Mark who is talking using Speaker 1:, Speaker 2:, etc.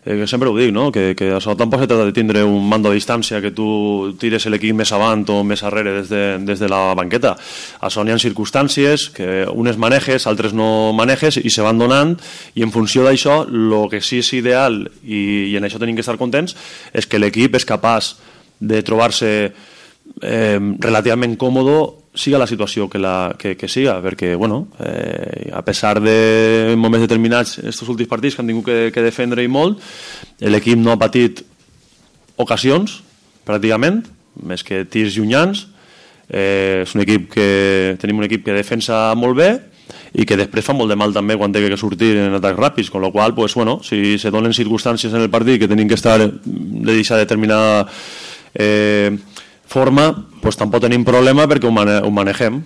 Speaker 1: Sempre ho dic, no? Que això tampoc se trata de tindre un mando a distància que tu tires l'equip més avant o més arrere des de la banqueta. Això n'hi ha circumstàncies que unes manejes, altres no manejes i se van donant, i en funció d'això el que sí és ideal, i en això tenim que estar contents, és que l'equip és capaç de trobar-se relativament còmode siga la situació que siga, perquè bueno, a pesar de moments determinats estos últims partits que han tingut que defendre i molt, l'equip no ha patit ocasions pràcticament, més que tirs llunyans. És un equip tenim un equip que defensa molt bé i que després fa molt de mal també quan té que sortir en atacs ràpids, con lo qual, pues, bueno, si se donen circumstàncies en el partit que tenim que estar de deixar determinada forma, pues tampoc tenim problema perquè ho manegem.